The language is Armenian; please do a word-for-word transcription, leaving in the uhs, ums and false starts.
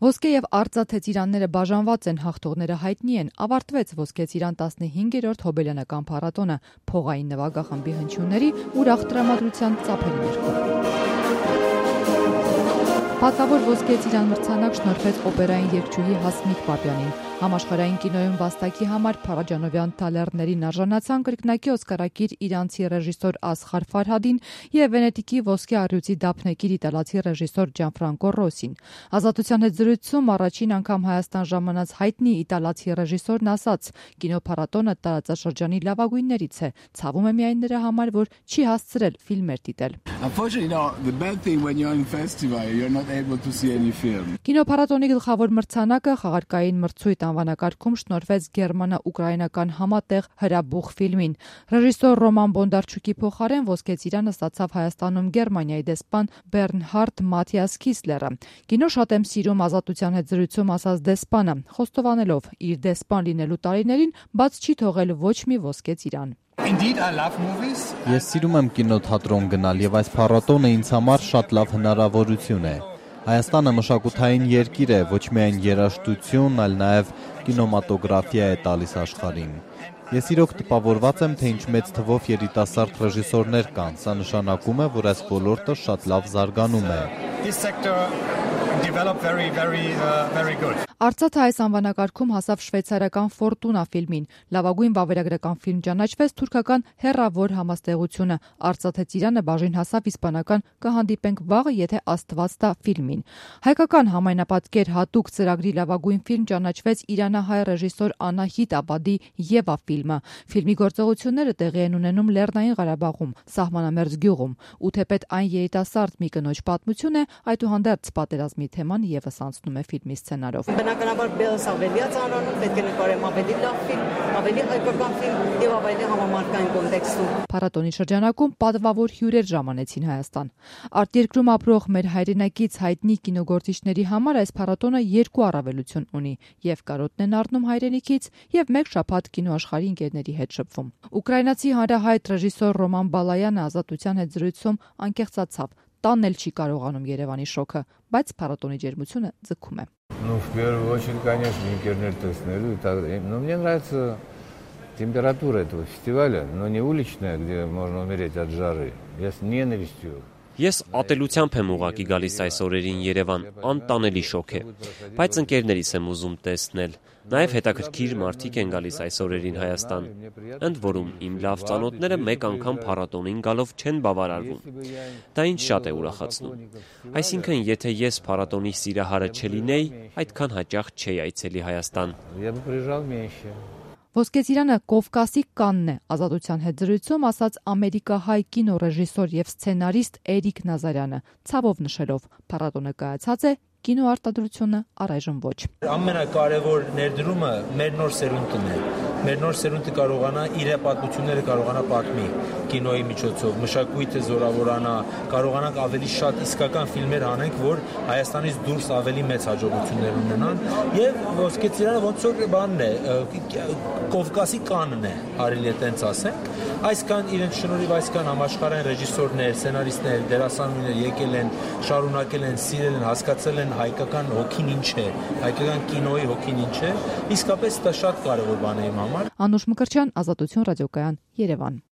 Ոսկե եւ արծաթե ծիրանները բաժանված են, հաղթողները հայտնի են։ Ավարտվեց Ոսկե ծիրան տասնհինգերորդ հոբելյանական փառատոնը փողային նվագախմբի հնչյունների ուրախ տրամադրության ծափերի ներքո։ Պատվավոր Ոսկե ծիրան մրցանակ շնորհվեց օպերային երգչուհի Հասմիկ Պապյանին։ Համաշխարհային կինոյում վաստակի համար Փարաջանովյան թալեռներին արժանացան կրկնակի օսկարակիր իրանցի ռեժիսոր Ասղար Ֆարհադին եւ Վենետիկի Ոսկե առյուծի դափնեկիր իտալացի ռեժիսոր Ջանֆրանկո Ռոսին։ Ազատության հետ զրույցում առաջին անգամ Հայաստան ժամանած հայտնի իտալացի ռեժիսորն ասաց. կինոփառատոնը տարածաշրջանի լավագույններից է, ցավում է միայն նրա համար, որ չի հասցրել ֆիլմեր դիտել։ Կինոփառատոնի գլխավոր մրցանակը խաղարկային մրցույթ անվանակարգում շնորհվեց գերմանա-ուկրաինական համատեղ հրաբուխ ֆիլմին։ Ռեժիսոր Ռոման Բոնդարչուկի փոխարեն Ոսկե ծիրանը ստացավ Հայաստանում Գերմանիայի դեսպան Բեռնհարդ Մաթիաս Քիսլերը։ Կինո շատ եմ սիրում, ազատության հետ զրույցում ասաց դեսպանը, խոստովանելով իր դեսպան լինելու տարիներին բաց չի թողել ոչ մի Ոսկե ծիրան։ Ես սիրում եմ կինոթատրոն գնալ եւ այս փառատոնը ինձ համար շատ լավ հնարավորություն է։ Հայաստանը մշակութային երկիր է, ոչ միայն երաժշտություն, այլ նաեւ կինոմատոգրաֆիա է տալիս աշխարհին։ Ես իրոք տպավորված եմ, թե ինչ մեծ թվով երիտասարդ ռեժիսորներ կան։ Սա նշանակում է, որ այս ոլորտը շատ լավ զարգանում է։ Արծաթը այս անվանակարգում հասավ շվեյցարական Ֆորտունա ֆիլմին։ Լավագույն վավերագրական ֆիլմ ճանաչվեց թուրքական հեռավոր համաստեղությունը։ Արծաթե ծիրանը բաժին հասավ իսպանական «Կհանդիպենք վաղը, եթե Աստված տա» ֆիլմին։ Հայկական համայնապատկեր հատուկ ծրագրի լավագույն ֆիլմ ճանաչվեց իրանահայ ռեժիսոր Անահիտ Աբադի «Եվա» ֆիլմը։ Ֆիլմի գործողությունները տեղի են ունենում Լեռնային Ղարաբաղում, սահմանամերձ գյուղում։ Ու թեպետ այն երիտասարդ մի կնոջ պատմություն է, այդուհանդերձ պատերազմի թեման եւս անցնում է ֆիլմի սցենարով։ Բնականաբար Բելս ավելի է ծանոթ, պետք է նկարեմ ավելի լավ ֆիլմ, ավելի հայկական ֆիլմ եւ ավելի համամարտկային կոնտեքստում։ Փառատոնի շրջանակում պատվավոր հյուրեր ժամանեցին Հայաստան։ Արտերկրում ապրող մեր հայրենակից հայտնի կինոգործիչների համար այս փառատոնը երկու առավելություն ունի՝ եւ կարոտն են առնում հայրենիքից, եւ մեկ շաբաթ կինոաշխարհի ընկերների հետ շփվում։ Ուկրաինացի հանրահայտ ռեժիսոր Ռոման Բալայանը ազատության հետ զրույցում անկեղծացավ։ Տանել չի կարողանում Երևանի շոկը, բայց փառատոնի ջերմությունը ձգում է։ Ну, в первую очередь, конечно, интернет տեսնելու, но мне нравится температура этого фестиваля, но не уличная, где можно умереть от жары. Я с ненавистью. Ես ատելությամբ եմ ուղակի գալիս այս օրերին Երևան, անտանելի շոկ է, բայց ընկերներիս եմ ուզում տեսնել։ Նաև հետաքրքիր մարդիկ են գալիս այս օրերին Հայաստան, ընդ որում իմ լավ ծանոթները մեկ անգամ փառատոնին գալով չեն բավարարվում։ Դա ինձ շատ է ուրախացնում։ Այսինքն, եթե ես փառատոնի սիրահարը չլինեի, այդքան հաճախ չէի այցելի Հայաստան։ Ոսկե ծիրանը Կովկասի Կանն է, ազատության հետ զրույցում ասաց ամերիկահայ կինոռեժիսոր եւ սցենարիստ Էրիկ Նազարյանը, ցավով նշելով. փառատոնը կայացած է, կինոարտադրությունը առայժմ ոչ։ Ամենակարևոր ներդրումը մեր նոր սերունդն է։ Մեր նոր սերունդը կարողանա իր պատմությունները կարողանա պատմի կինոյի միջոցով, մշակույթը զորավորանա, կարողանանք ավելի շատ իսկական ֆիլմեր անենք, որ Հայաստանից դուրս ավելի մեծ հաջողություններ ունենան, եւ Ոսկե ծիրանը ոնց որ բանն է, Կովկասի Կանն է, արելի է տենց ասենք։ Այսքան իրենց շնորհիվ այսքան համաշխարհային ռեժիսորներ, սցենարիստներ, դերասանուհիներ եկել են, շարունակել են, սիրել են, հասկացել են հայկական հոգին ինչ է, հայկական կինոյի հոգին ինչ է, իսկապես դա շատ կարևոր բան է իմ համար։ Անուշ Մկրտչյան, Ազատություն ռադիոկայան, Երևան։